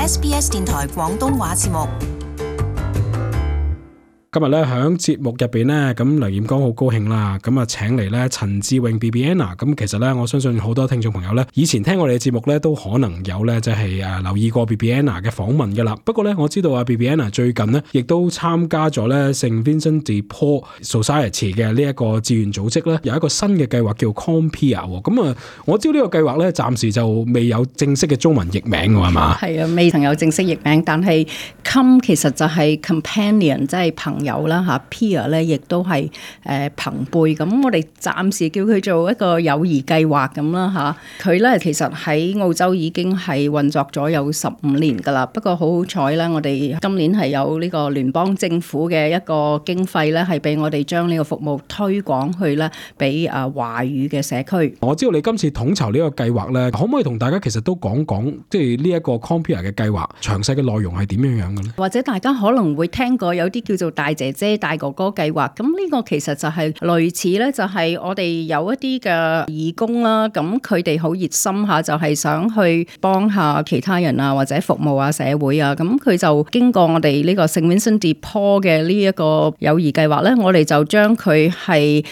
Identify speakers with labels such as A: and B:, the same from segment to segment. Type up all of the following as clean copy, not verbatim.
A: SBS 電台廣東話節目。
B: 今日咧喺節目入邊咧，咁梁彥剛好高興啦，咁啊請嚟咧陳志穎 Bibiana， 咁其實咧我相信好多聽眾朋友咧，以前聽我哋嘅節目咧都可能有咧即係留意過 Bibiana 嘅訪問噶啦。不過咧我知道Bibiana 最近咧亦都參加咗咧聖 Vincent de Paul Society 嘅呢一個志願組織咧，有一個新嘅計劃叫 Compare。咁啊，我知道呢個計劃咧暫時就未有正式嘅中文譯名㗎係嘛？
C: 係啊，未曾有正式譯名，但係 Com 其實就係 companion， 即係朋友啦嚇 ，peer 咧亦都係朋輩。咁我哋暫時叫佢做一個友誼計劃咁啦嚇。佢咧其實喺澳洲已經係運作咗有15年㗎啦。不過好好彩咧，我哋今年係有呢個聯邦政府嘅一個經費咧，係俾我哋將呢個服務推廣去咧俾華語嘅社區。
B: 我知道你今次統籌呢個計劃咧，可唔可以同大家其實都講講，即係呢一個 Compare 嘅計劃詳細嘅內容係點樣樣嘅咧？
C: 或者大家可能會聽過有啲叫做大姐姐大哥哥計劃，咁呢個其實就係類似咧，就係我哋有一啲嘅義工啦，咁佢哋好熱心下，就係想去幫下其他人啊，或者服務下社會啊，咁佢就經過我哋呢個聖 Vincent de Paul 嘅呢一個友誼計劃咧，我哋就將佢係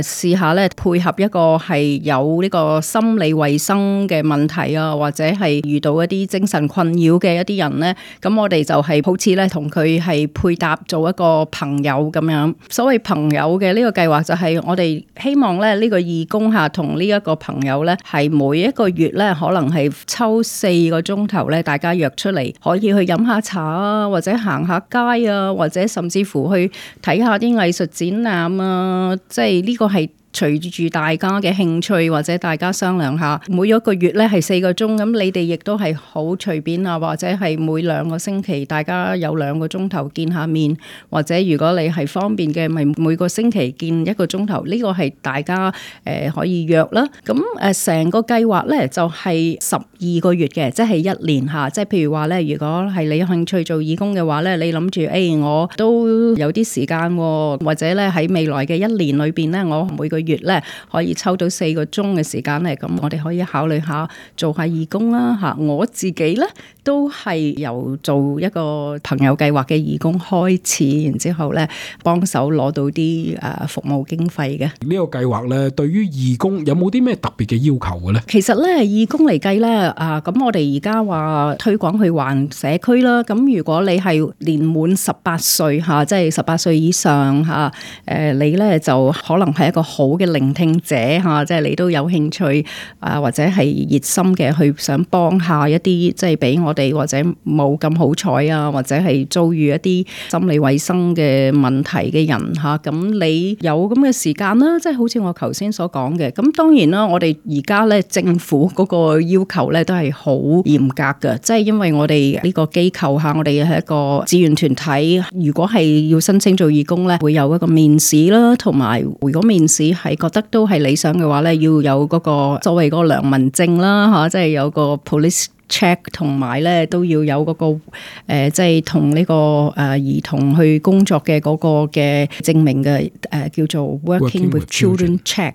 C: 試下咧配合一個係有呢個心理衛生嘅問題啊，或者係遇到一啲精神困擾嘅一啲人咧，咁我哋就係好似咧同佢係配搭做一個朋友咁樣。所謂朋友嘅呢個計劃就係我哋希望咧呢個義工下同呢一個朋友咧係每一個月咧可能係抽4個鐘頭咧，大家約出嚟可以去飲下茶啊，或者行下街啊，或者甚至乎去睇下啲藝術展覽啊，即係呢個係隨住大家嘅興趣或者大家商量下，每一個月咧係4個鐘，咁你哋亦都係好隨便啊，或者係每2個星期大家有2個鐘頭見下面，或者如果你係方便嘅，咪每個星期見1個鐘頭，呢個係大家可以約啦。咁成個計劃咧就係12個月嘅，即係1年下。即係譬如話咧，如果係你有興趣做義工嘅話咧，你諗住我都有啲時間喎，或者咧喺未來嘅1年裏邊咧，我每個月咧可以抽到4個鐘嘅時間咧，咁我哋可以考慮下做下義工啦嚇。我自己咧都係由做一個朋友計劃嘅義工開始，然之後咧幫手攞到啲服務經費嘅。
B: 呢個計劃咧，對於義工有冇啲咩特別嘅要求嘅咧？
C: 其實咧，義工嚟計咧咁我哋而家話推廣去環社區啦。咁如果你係年滿18歲嚇，即係18歲以上嚇，你咧就可能係一個好嘅聆聽者嚇，即係你都有興趣或者係熱心嘅去想幫下一啲即係俾我哋或者冇咁好彩啊，或者係遭遇一啲心理衛生嘅問題嘅人嚇，咁你有咁嘅時間啦，即係好似我頭先所講嘅。咁當然啦，我哋而家咧政府嗰個要求咧都係好嚴格嘅，即係因為我哋呢個機構嚇，我哋係一個志願團體，如果係要申請做義工咧，會有一個面試啦，同埋如果面試係覺得都係理想嘅話咧，要有嗰個所謂嗰個良民證啦嚇，即係有個 police check， 同埋咧都要有嗰個即係同呢個兒童去工作嘅嗰個嘅證明嘅叫做 working with children check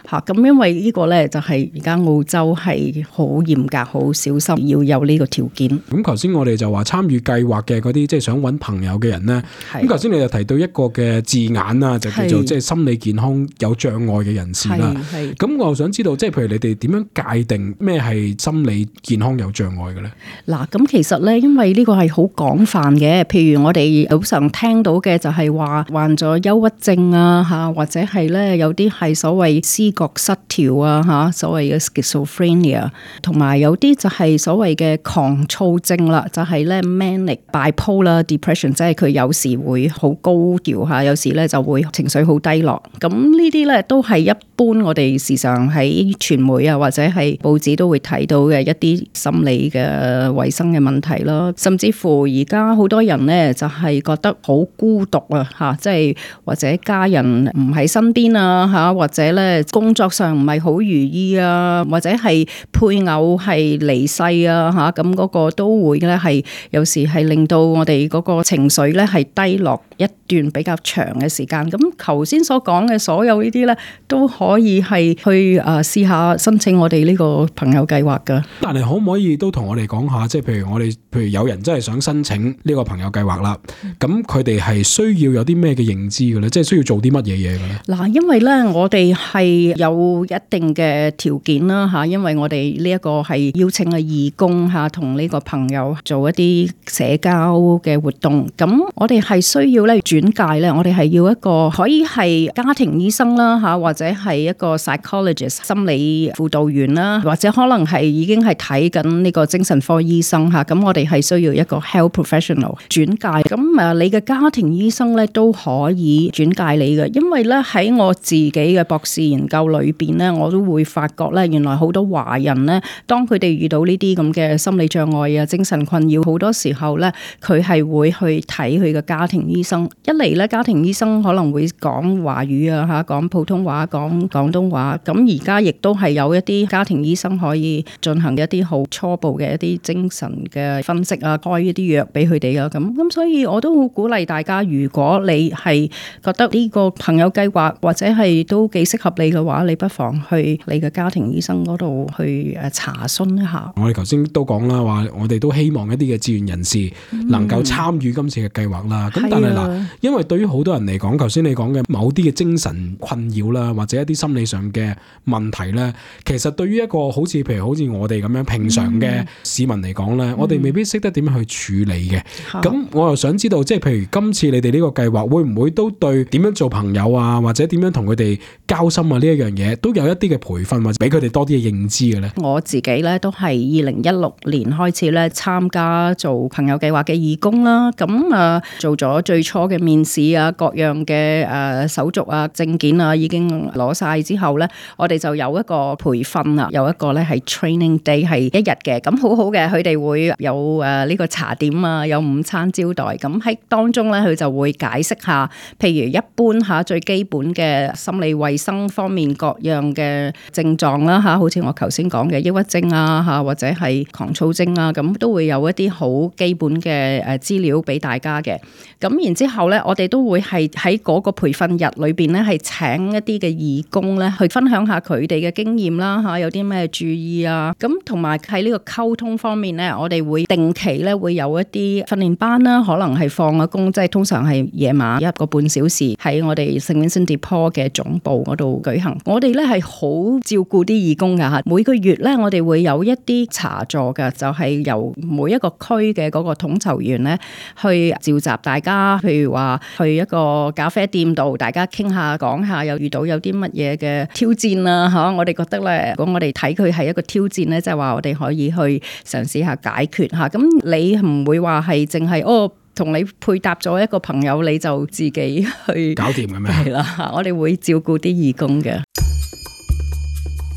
C: 嚇。咁因為呢個咧就係而家澳洲係好嚴格、好小心要有呢個條件。
B: 咁頭先我哋就話參與計劃嘅嗰啲即係想揾朋友嘅人咧，咁頭先你就提到一個嘅字眼啦，就叫做即係心理健康有障礙嘅人士啦。咁我又想知道，即係譬如你哋點樣界定咩係心理健康有障礙嘅咧？
C: 嗱，咁其實咧，因為呢個係好廣泛嘅，譬如我哋好常聽到嘅就係話患咗憂鬱症啊嚇，或者係咧有啲係所謂思覺失調啊嚇，所謂嘅 schizophrenia， 同埋有啲就係所謂嘅狂躁症啦，就係咧 manic bipolar depression， 即係佢有時會好高調嚇，有時咧就會情緒好低落。咁呢啲咧都係一般我哋時常喺傳媒啊或者係報紙都會睇到嘅一啲心理嘅衛生嘅問題啦，甚至乎而家好多人咧就係覺得好孤獨啊嚇，即係或者家人唔喺身邊啊嚇，或者咧工作上唔係好如意啊，或者係配偶係離世啊嚇，咁嗰個都會咧係有時係令到我哋嗰個情緒咧係低落一段比較長嘅時間。咁頭先所講嘅所有呢啲咧都可以係去試下申請我哋呢個朋友計劃㗎。
B: 但係可唔可以都同我哋講下，即係譬如有人真係想申請呢個朋友計劃啦，咁佢哋係需要有啲咩嘅認知嘅咧？即係需要做啲乜嘢嘢嘅咧？
C: 嗱，因為咧我哋係有一定嘅條件啦嚇，因為我哋呢一個係邀請嘅義工嚇，同呢個朋友做一啲社交嘅活動。咁我哋係需要咧轉介咧，我哋係要一個可以係家庭醫生啦嚇，或者係一個 psychologist 心理輔導員啦，或者可能係已經係睇緊呢個精神科醫生嚇。咁我哋係需要一個 health professional 轉介。咁你嘅家庭醫生咧都可以轉介你嘅，因為咧喺我自己嘅博士研究裏邊咧，我都會發覺咧，原來好多華人咧，當佢哋遇到呢啲咁嘅心理障礙啊、精神困擾，好多時候咧，佢係會去睇佢嘅家庭醫生。一嚟咧，家庭醫生可能會講華語啊嚇，講普通話、講廣東話。咁而家亦都係有一啲家庭醫生可以進行一啲好初步嘅一啲精神嘅分析啊，開一啲藥俾佢哋啊。咁所以我都好鼓勵大家，如果你係覺得呢個朋友計劃或者係都幾適合你嘅話，你不妨去你嘅家庭醫生嗰度去查詢一下。
B: 我哋頭先都講啦，話我哋都希望一啲嘅志願人士能夠參與今次嘅計劃啦。咁但係嗱，因為對於好多人嚟講，頭先你講嘅某啲嘅精神困擾啦，或者一啲心理上嘅問題咧，其實對於一個好似我哋咁樣平常嘅市民嚟講咧，我哋未必識得點樣去處理嘅。咁我又想知道，即係譬如今次你哋呢個計劃會唔會都對點樣做朋友啊，或者點樣同佢哋交心啊呢一樣嘢，都有一啲嘅培訓或者俾佢哋多啲嘅認知嘅咧？我
C: 自己咧都係2016年開始咧參加做朋友計劃嘅義工啦，咁做咗最初嘅面試啊，各樣嘅手續啊、證件啊已經攞晒之後咧，我哋就有一個培訓啊，有一個咧係 training day 係1日嘅，咁好好嘅，佢哋會有呢個茶點啊，有午餐招待，咁喺當中咧佢就會解釋下，譬如一般最基本嘅心理衛生方面各樣嘅症狀啦好似我頭先講嘅抑鬱症啊或者係狂躁症啊，咁都會有一啲好基本嘅資料俾大家嘅。咁然之後咧，我哋都會係喺嗰個培訓日裏邊咧，係請一啲嘅義工咧去分享下佢哋嘅經驗啦有啲咩注意啊，咁同埋喺呢個溝通方面咧，我哋會定期咧會有一啲訓練班啦，可能係放咗工，即係通常係夜晚1個半小時喺我哋聖 Vincent de Paul 嘅總部嗰度舉行。我哋咧係好照顧啲義工噶每個月咧我哋會有一啲茶座噶，就係由每一個區嘅嗰個統籌員咧去召集大家，譬如話去一個咖啡店度，大家傾下講下，又遇到有啲乜嘢嘅挑戰啊我哋覺得咧，如果我哋睇佢係一個挑戰咧，即係話我哋可以去嘗試下解決吓。咁你唔會話係淨係同你配搭咗一個朋友，你就自己去
B: 搞掂嘅咩？
C: 係啦，我哋會照顧啲義工嘅。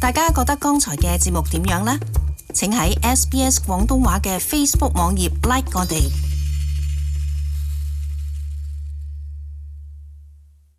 A: 大家覺得剛才嘅節目點樣呢？請喺SBS 廣東話嘅 Facebook 網頁 like 我哋。